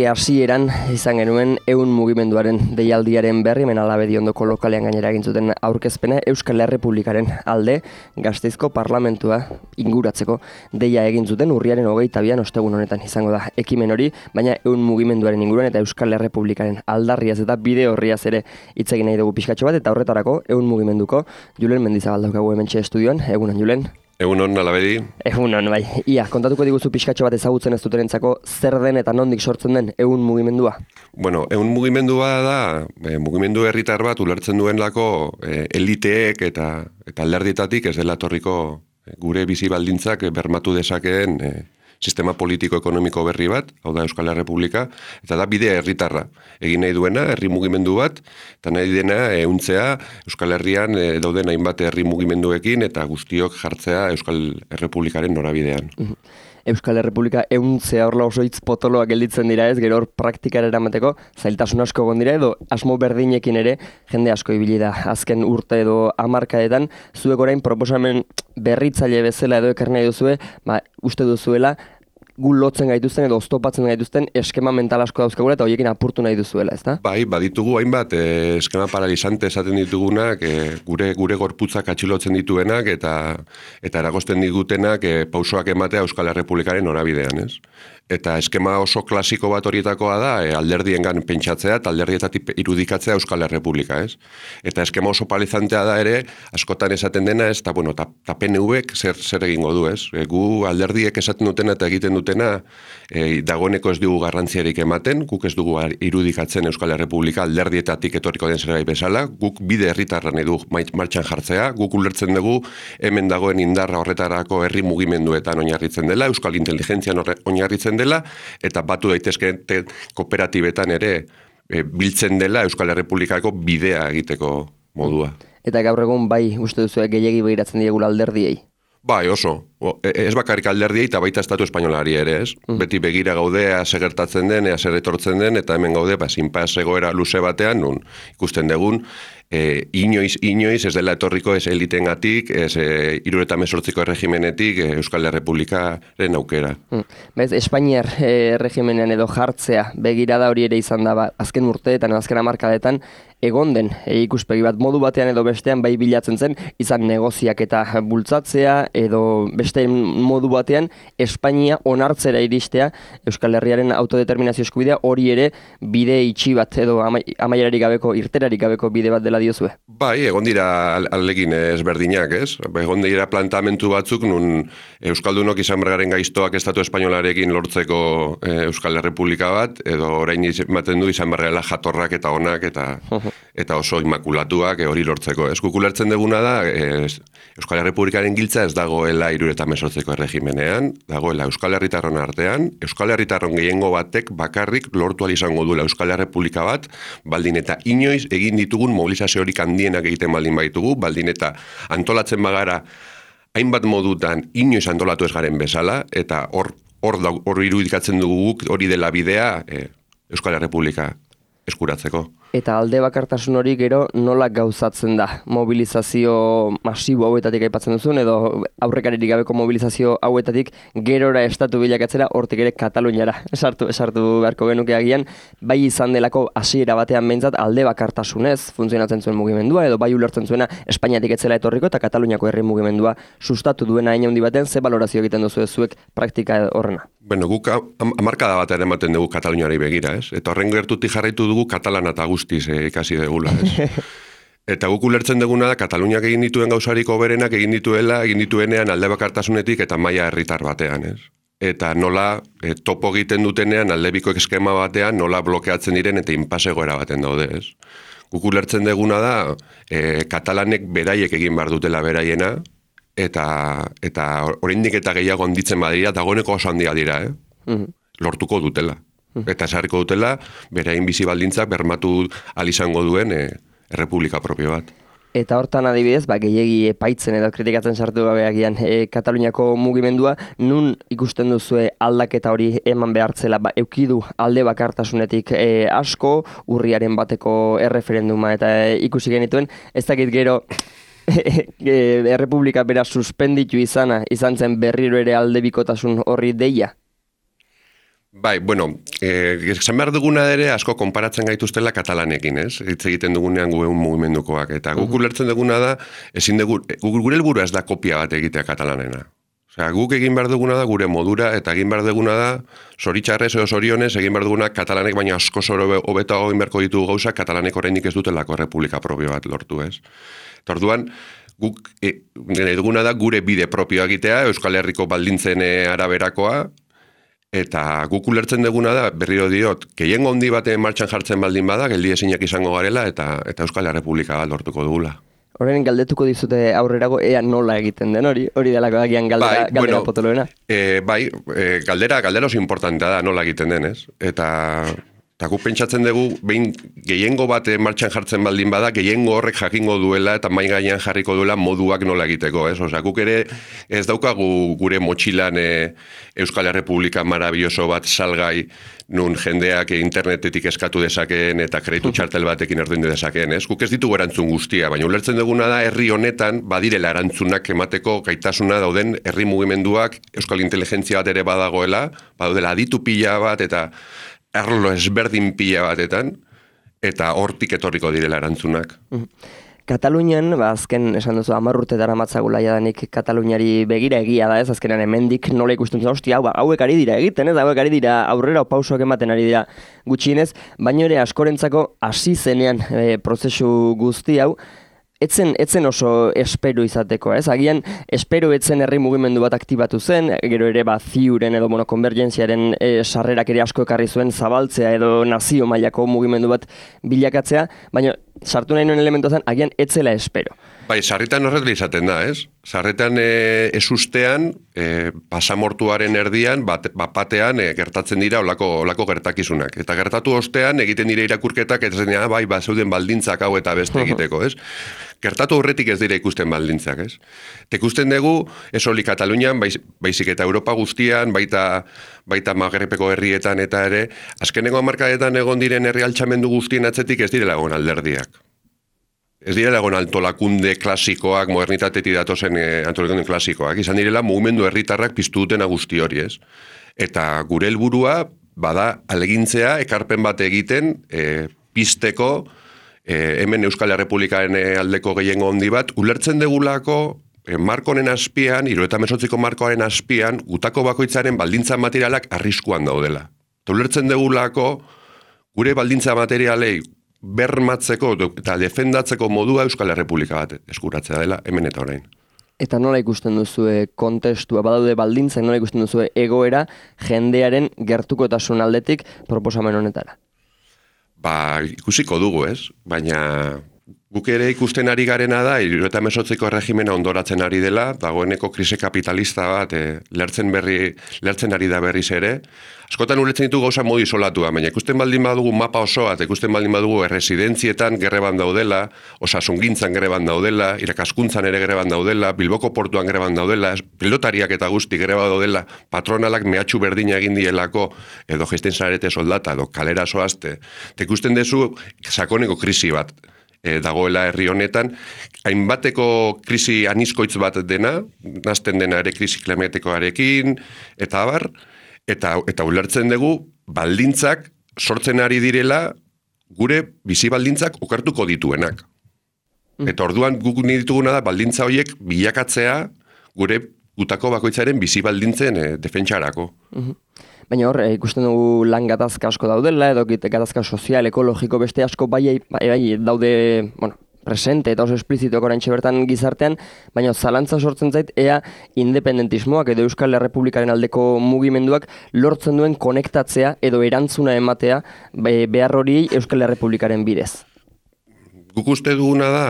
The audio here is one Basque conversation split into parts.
hasieran izan genuen ehun mugimenduaren deialdiaren berri, hemen Alabedi ondoko lokalean gainera egin zuten aurkezpena Euskal Errepublikaren alde Gasteizko parlamentua inguratzeko deia egin zuten urriaren 22an ostegun honetan izango da ekimen hori, baina ehun mugimenduaren inguruan eta Euskal Errepublikaren aldarriaz eta bide horriaz ere hitz egin nahi dugu pixkatxo bat, eta horretarako ehun mugimenduko Julen Mendizabal daukagu hementxe estudioan. Egunon, Julen. Egunon, Alabedi. Egunon, bai. Ia, kontatuko diguzu pixkatxo bat ezagutzen ez dutenentzako zer den eta nondik sortzen den ehun mugimendua? Bueno, ehun mugimendua da, mugimendu herritar bat ulertzen duenlako eliteek eta alderdietatik ez dela etorriko gure bizi baldintzak bermatu dezakeen sistema politiko-ekonomiko berri bat, hau da Euskal Errepublika, eta da bide herritarra. Egin nahi duena, herri mugimendu bat, eta nahi dena ehuntzea Euskal Herrian dauden hainbat herri mugimenduekin eta guztiok jartzea Euskal Errepublikaren norabidean. Euskal Errepublika ehuntzea horla oso hitz potoloak gelditzen dira ez, gero hor praktikara eramateko zailtasun asko egon dira edo asmo berdinekin ere jende asko ibili da azken urte edo hamarkadetan. Zuek orain proposamen berritzaile bezala edo ekarri nahi duzue, uste duzuela gu lotzen gaituzten edo oztopatzen gaituzten eskema mental asko dauzkagula eta horiekin apurtu nahi duzuela, ezta? Bai, baditugu hainbat eskema paralizante esaten ditugunak, gure gorputzak atxilotzen dituenak eta eragosten digutenak pausoak ematea Euskal Errepublikaren norabidean, ez? Eta eskema oso klasiko bat horietakoa da alderdiengan pentsatzea eta alderdietatik irudikatzea Euskal Errepublika, ez? Eta eskema oso paralizantea da ere, askotan esaten dena, ez? Ta PNV-ek zer egingo du, ez? Gu alderdiek esaten dutena eta egiten dutena dagoeneko ez dugu garrantziarik ematen, guk ez dugu irudikatzen Euskal Errepublika alderdietatik etorriko den zerbait bezala, guk bide herritarra nahi du martxan jartzea, guk ulertzen dugu hemen dagoen indarra horretarako herri mugimenduetan oinarritzen dela, Euskal Inteligentzian oinarritzen dela, eta batu daitezkeen kooperatibetan ere biltzen dela Euskal Errepublikako bidea egiteko modua. Eta gaur egun bai uste duzu gehiegi begiratzen diegula alderdiei? Bai, oso. Ez bakarrik alderdiei eta baita Estatu Espainolari ere, ez? Beti begira gaude segertatzen den, zer etortzen den, eta hemen gaude, zinpas egoera luze batean, nun ikusten dugun, inoiz ez dela etorriko ez elitengatik, ez 78ko erregimenetik Euskal Errepublikaren aukera. Bez, Espainiar erregimenean edo jartzea begirada hori ere izan da, azken urteetan, azken hamarkadetan, egon den ikuspegi bat modu batean edo bestean bai bilatzen zen, izan negoziak eta bultzatzea edo beste modu batean Espainia onartzera iristea Euskal Herriaren autodeterminazio eskubidea hori ere bide itxi bat edo amaierarik gabeko, irterarik gabeko bide bat dela diozue. Bai, egon dira alegin ezberdinak, ez? Egon dira plantamentu batzuk nun Euskaldunok izan bergaren gaiztoak Estatu Espainolarekin lortzeko Euskal Errepublika bat, edo orain ematen du izan bergela jatorrak eta onak eta oso imakulatuak hori lortzeko. Ez kukulertzen duguna da, Euskal Errepublikaren giltza ez dagoela 78ko erregimenean, dagoela Euskal Herritarron artean, Euskal Herritarron gehiengo batek bakarrik lortu ahal izango duela Euskal Errepublika bat, baldin eta inoiz egin ditugun mobilizaziorik handienak egiten baldin baitugu, baldin eta antolatzen bagara hainbat modutan inoiz antolatu ez garen bezala, eta hor irudikatzen dugu hori dela bidea Euskal Errepublika eskuratzeko. Eta alde bakartasun hori gero nola gauzatzen da? Mobilizazio masibo hauetatik aipatzen duzun, edo aurrekaririk gabeko mobilizazio hauetatik gerora estatu bilakatzera, hortik ere Kataluniara esartu beharko genuke agian, bai izan delako hasiera batean behintzat alde bakartasunez funtzionatzen zuen mugimendua, edo bai ulertzen zuena Espainiatik etzela etorriko eta Kataluniako herri mugimendua sustatu duena hain handi batean, ze balorazio egiten duzu zuek praktika horrena? Bueno, guk hamarkada bat ere ematen dugu Kataluniari begira, ez? Eta horren gertutik jarraitu dugu Katalana eta guztiz ikasi degula, ez? Eta guk ulertzen duguna da, Kataluniak egin dituen gauzariko berenak egin dituenean alde bakartasunetik eta maila herritar batean, ez? Eta nola topo egiten dutenean aldebiko eskema batean nola blokeatzen diren eta inpasegoera baten daude, ez? Guk ulertzen duguna da, Katalanek beraiek egin behar dutela beraiena, eta oraindik eta gehiago handitzen badira, dagoeneko oso handia dira, lortuko dutela. Eta esarriko dutela, beraien bizi baldintzak bermatu ahal izango duen errepublika propio bat. Eta hortan adibidez, gehiegi epaitzen edo kritikatzen sartu gabe agian Kataluniako mugimendua, nun ikusten duzue aldaketa hori eman behartzela, eukidu alde bakartasunetik asko, urriaren bateko erreferenduma eta ikusi genituen, ez dakit gero Errepublika bera suspenditu izan zen berriro ere aldebikotasun horri deia? Bai, bueno, esan behar duguna ere asko konparatzen gaituztela katalanekin, ez? Hitz egiten dugunean guen mugimendukoak. Eta guk ulertzen duguna da, ezin dugu, gure helburua ez da kopia bat egitea katalanena. Osea, guk egin behar duguna da gure modura, eta egin behar duguna da, zoritxarrez edo zorionez, egin behar duguna katalanek, baina asko hobeto egin beharko ditugu gauzak, katalanek oraindik ez dutelako republika propio bat lortu, ez? Eta orduan, guk duguna da gure bide propioa egitea, Euskal Herriko baldintzen araberakoa, eta guk ulertzen duguna da, berriro diot, gehiengo handi baten martxan jartzen baldin bada, geldi ezinak izango garela, eta Euskal Herrepublika bat lortuko dugula. Horren galdetuko dizute aurrerago, ea nola egiten den hori delako dakian galdera potoloena. Galdera oso importantea da nola egiten den, ez? Eta guk pentsatzen dugu, behin gehiengo bat martxan jartzen baldin bada, gehiengo horrek jakingo duela eta mai gainean jarriko duela moduak nola egiteko, ez? Osea, guk ere ez daukagu gure motxilan Euskal Herrepublika marabilloso bat salgai nun jendeak internetetik eskatu dezakeen eta kreditu txartel batekin ordaindu dezakeen, ez? Guk ez ditugu erantzun guztia, baina ulertzen duguna da herri honetan badirela erantzunak emateko gaitasuna dauden herri mugimenduak, Euskal Inteligentzia bat ere badagoela, badaudela aditu pila bat eta arlo ezberdin pila batetan, eta hortik etorriko direla erantzunak. Katalunian, azken esan duzu, 10 urte daramatzagula jadanik Kataluniari begira egia da ez, azkenean hemendik nola ikusten zuen, hostia, hauek ari dira egiten, ez, hauek ari dira aurrera pausoak ematen ari dira gutxienez, baina ere askorentzako hasi zenean prozesu guzti hau, etzen oso espero izateko, ez? Agian espero etzen herri mugimendu bat aktibatu zen, gero ere ziuren edo konvergentziaren sarrerak ere asko ekarri zuen zabaltzea edo nazio mailako mugimendu bat bilakatzea, baina sartu nahi nuen elementu zen, agian etzela espero. Bai, sarritan horretla izaten da, ez? Sarritan ez ustean, pasamortuaren erdian, batean gertatzen dira olako gertakizunak. Eta gertatu ostean egiten dira irakurketak, eta zen, bai, zeuden baldintzak hau eta beste egiteko, ez? Gertatu horretik ez dira ikusten baldintzak, ez? Ikusten dugu, ez hori Katalunian, baizik eta Europa guztian, baita Magrepeko herrietan eta ere, azkeneko hamarkadetan egon diren herri altxamendu guztien atzetik ez direla egon alderdiak. Ez direla egon antolakunde klasikoak, modernitatetik datozen antolakunde klasikoak, izan direla mugimendu herritarrak piztu dutena guzti hori, ez? Eta gure helburua bada alegintzea, ekarpen bat egiten, pizteko, hemen Euskal Herrepublikaren aldeko gehiengo handi bat, ulertzen degulako, markonen azpian, 78ko markoaren azpian, gutako bakoitzaren baldintza materialak arriskuan daudela. Ulertzen degulako, gure baldintza materialei bermatzeko eta defendatzeko modua Euskal Herrepublika bat eskuratzea dela hemen eta orain. Eta nola ikusten duzue kontestua, badaude baldintzak, nola ikusten duzue egoera jendearen gertukotasun aldetik proposamen honetara? Ikusiko dugu, ez? Baina guk ere ikusten ari garena da, 78ko erregimena ondoratzen ari dela, dagoeneko krisi kapitalista bat lertzen ari da berriz ere. Askotan ulertzen ditu gauza modu isolatua, baina ikusten baldin badugu mapa osoa, eta ikusten baldin badugu erresidentzietan greban daudela, osasungintzan greban daudela, irakaskuntzan ere greban daudela, Bilboko portuan greban daudela, pilotariak eta guzti greba daudela, patronalak mehatxu berdina egin dielako, edo gesten zarete soldata, edo kalera soazte. Eta ikusten dezu sakoneko krisi bat dagoela herri honetan, hainbateko krisi anizkoitz bat dena, nazten dena ere krisi klimatikoarekin, eta abar, eta ulertzen dugu baldintzak sortzen ari direla gure bizi baldintzak okertuko dituenak. Eta orduan guk dituguna da baldintza horiek bilakatzea gure gutako bakoitzaren bizi baldintzen defentsarako. Baina hor, ikusten dugu lan gatazka asko daudela, edo gatazka sozial, ekologiko, beste asko bai daude, presente eta oso esplizituak oraintxe bertan gizartean, baina zalantza sortzen zait, ea independentismoak edo Euskal Herrepublikaren aldeko mugimenduak lortzen duen konektatzea edo erantzuna ematea behar hori Euskal Herrepublikaren bidez. Guk uste duguna da,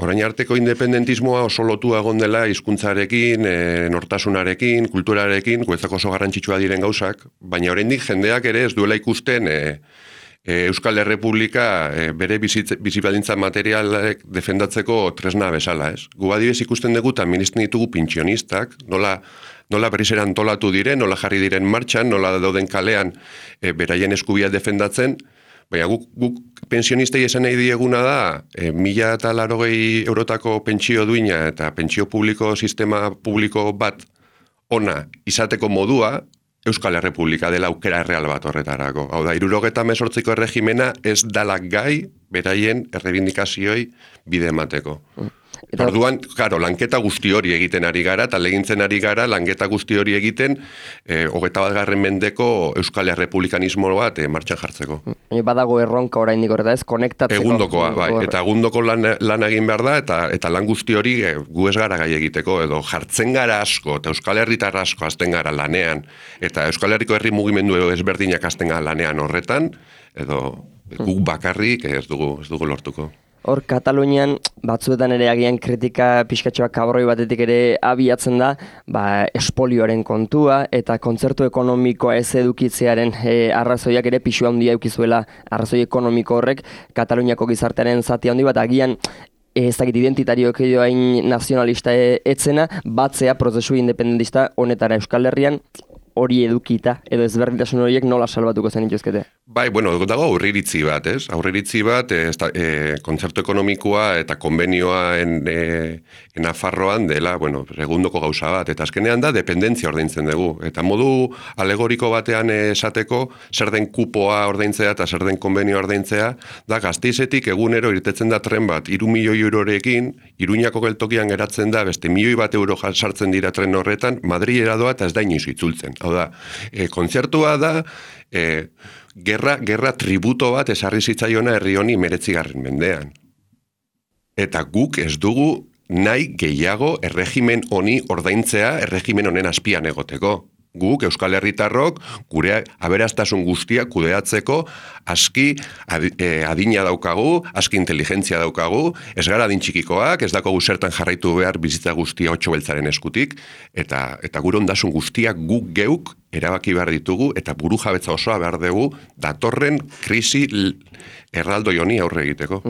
orain arteko independentismoa oso lotua egon dela hizkuntzarekin, nortasunarekin, kulturarekin, guretzako oso garrantzitsua diren gauzak, baina oraindik jendeak ere ez duela ikusten Euskal Herrepublika bere bizibaldintza materialek defendatzeko tresna bezala, ez? Gu adibidez ikusten dugu eta ministen ditugu pentsionistak, nola berriz ere antolatu diren, nola jarri diren martxan, nola dauden kalean beraien eskubia defendatzen, baina guk pensionistei esan nahi dieguna da, 1.080 eurotako pentsio duina eta pentsio publiko, sistema publiko bat ona izateko modua, Euskal Errepublika dela aukera erreal bat horretarako. Hau da, 78ko erregimena ez dala gai beraien errebindikazioi bide emateko. Orduan, claro, lanketa guzti hori egiten ari gara, eta legintzen ari gara, lanketa guzti hori egiten, 21. mendeko Euskal Errepublikanismo bat martxan jartzeko. Badago erronka oraindik horreta ez, konektatzeko. Egundokoa, bai, eta egundoko lan egin behar da, eta lan guzti hori gu ez gara gai egiteko, edo jartzen gara asko, eta Euskal Herritar asko azten gara lanean, eta Euskal Herriko herri mugimendu ezberdinak azten gara lanean horretan, edo guk bakarrik ez dugu lortuko. Hor, Katalunian batzuetan ere agian kritika pixkatxoak kabroi batetik ere abiatzen da, espolioaren kontua eta kontzertu ekonomikoa ez edukitzearen arrazoiak ere pixua handia eukizuela arrazoi ekonomiko horrek Kataluniako gizartearen zati handi bat agian ez dakit identitarioak edo hain nazionalista etzena, batzea prozesu independentista honetara Euskal Herrian hori edukita, edo ezberdintasun horiek nola salbatuko zen ituzkete? Bai, bueno, dago aurriritzi bat, ez? Aurriritzi bat, kontzertu ekonomikoa eta konbenioa Nafarroan dela, bueno, segundoko gauza bat, eta azkenean da dependentzia ordaintzen dugu. Eta modu alegoriko batean esateko, zer den kupoa ordaintzea eta zer den konbenioa ordaintzea, da Gasteizetik egunero irtetzen da tren bat, 3 milioi eurorekin, Iruñako geltokian geratzen da, beste 1 milioi bat euro sartzen dira tren horretan, Madrilera doa eta ez da inoiz itzultzen. Hau da, kontzertua da, gerra tributo bat esarri zitzaiona herri honi 19. mendean. Eta guk ez dugu nahi gehiago erregimen honi ordaintzea, erregimen honen azpian egoteko. Guk, Euskal Herritarrok, gure aberastasun guztia kudeatzeko aski adina daukagu, aski inteligentzia daukagu, ez gara adin txikikoak, ez dakogu zertan jarraitu behar bizitza guztia 8 beltzaren eskutik, eta gure ondasun guztiak guk geuk erabaki behar ditugu, eta buru jabetza osoa behar dugu datorren krisi erraldoi honi aurre egiteko.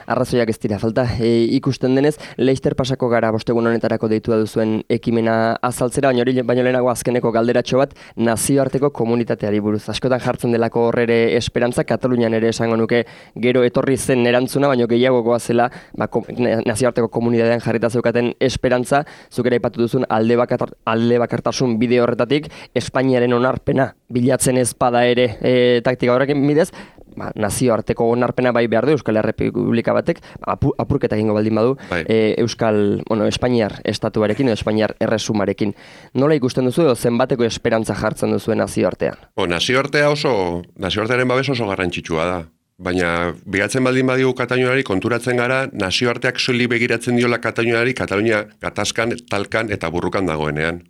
Arrazoiak ez dira falta. Ikusten denez, Leister pasako gara bostegun honetarako deitua duzuen ekimena azaltzera, baino lehenago azkeneko galderatxo bat nazioarteko komunitateari buruz. Askotan jartzen delako horrere esperantza, Katalunian ere esango nuke gero etorri zen erantzuna, baino gehiago goazela nazioarteko komunitatean jarrita zeukaten esperantza, zuk ere aipatu duzun alde bakartasun bide horretatik, Espainiaren onarpena bilatzen ezpada ere taktika horrekin bidez, nazioarteko onarpena bai behar du Euskal Errepublika batek, apurketa egingo baldin badu, Espainiar estatuarekin edo Espainiar erresumarekin. Nola ikusten duzu edo zenbateko esperantza jartzen duzuen nazioartean? Nazioartearen babes oso garrantzitsua da. Baina, behatzen baldin badigu Kataluniari konturatzen gara, nazioarteak soilik begiratzen diola Kataluniari, Katalunia gatazkan, talkan eta burrukan dagoenean.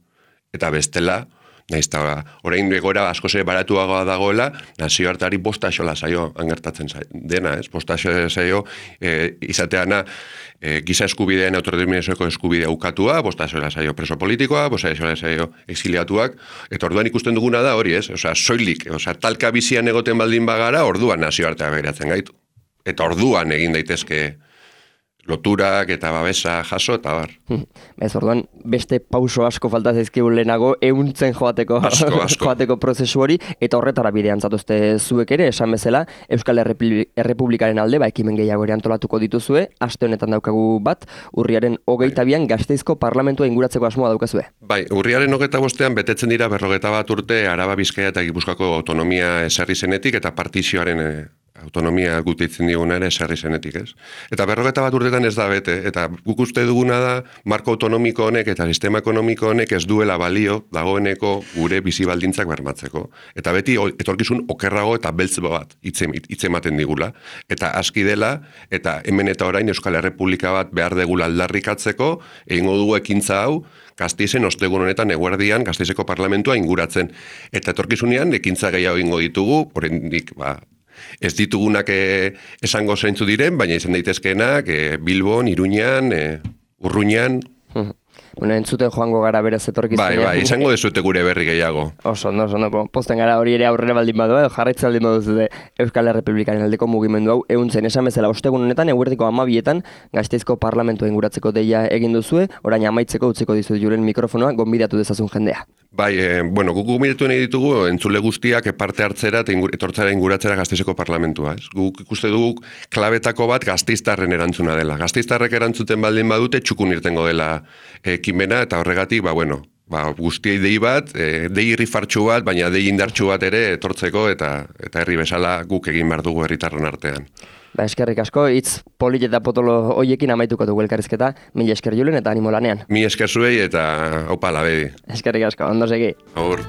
Eta bestela, nahiz eta orain egora asko ze baratuagoa dagoela, nazioarteari bosta xola zaio angertatzen dena, ez? Bosta xola zaio izateana giza eskubidean autodeterminazioko eskubidea ukatua, bosta xola zaio preso politikoa, bosta xola zaio exiliatuak, eta orduan ikusten duguna da hori, ez? Soilik, talka bizian egoten baldin bagara, orduan nazioartea begiratzen gaitu. Eta orduan egin daitezke loturak eta babesa jaso eta bar. Ez orduan, beste pauso asko falta zaizkigu lehenago ehuntzen joateko prozesu hori, eta horretara bidean zatuzte zuek ere, esan bezala, Euskal Errepublikaren alde, ekimen gehiago ere antolatuko dituzue, aste honetan daukagu bat, urriaren 22an Gasteizko parlamentua inguratzeko asmoa daukazue. Bai, urriaren 25an betetzen dira 41 urte Araba, Bizkaia eta Gipuzkoako autonomia ezarri zenetik eta partizioaren autonomia gutitzen diguna ere esarri zenetik, ez? Eta 41 urtetan ez da bete, eta guk uste duguna da marko autonomiko honek eta sistema ekonomiko honek ez duela balio dagoeneko gure bizi baldintzak bermatzeko. Eta beti etorkizun okerrago eta beltz bat hitzematen digula. Eta aski dela, eta hemen eta orain Euskal Errepublika bat behar degula aldarrikatzeko, egingo dugu ekintza hau, Gasteizen ostegun honetan eguerdian Gasteizeko parlamentua inguratzen. Eta etorkizunean ekintza gehiago egingo ditugu, oraindik ez ditugunak esango zeintzu diren, baina izan daitezkeenak Bilbon, Iruñan, Urruñan. Entzuten joango gara berez etorkizunean. Bai, izango dezute gure berri gehiago. Oso, posten gara hori ere aurrera baldin badu, jarraitza baldin badu Euskal Errepublikaren aldeko mugimendu hau, ehuntzen esan bezala ostegun honetan, eguerdiko 12etan, Gasteizko parlamentua inguratzeko deia egin duzue, orain amaitzeko utziko dizut juren mikrofonoa, gonbidatu dezazun jendea. Bai, guk gonbidatu nahi ditugu, entzule guztiak parte hartzera eta etortzera inguratzera Gasteizeko parlamentua. Guk ikuste dugu klabetako bat gasteiztarren erantzuna dela. Gasteiztarrek erantzuten baldin badute txukun irtengo dela ekimena, eta horregatik, guztiei dei bat, dei irrifartxu bat, baina dei indartxu bat ere etortzeko eta herri bezala guk egin behar dugu herritarron artean. Eskerrik asko, hitz polit eta potolo hoiekin amaituko dugu elkarrizketa, mila esker Julen eta animo lanean. Mila esker zuei eta aupa labedi. Eskerrik asko, ondo segi. Agur.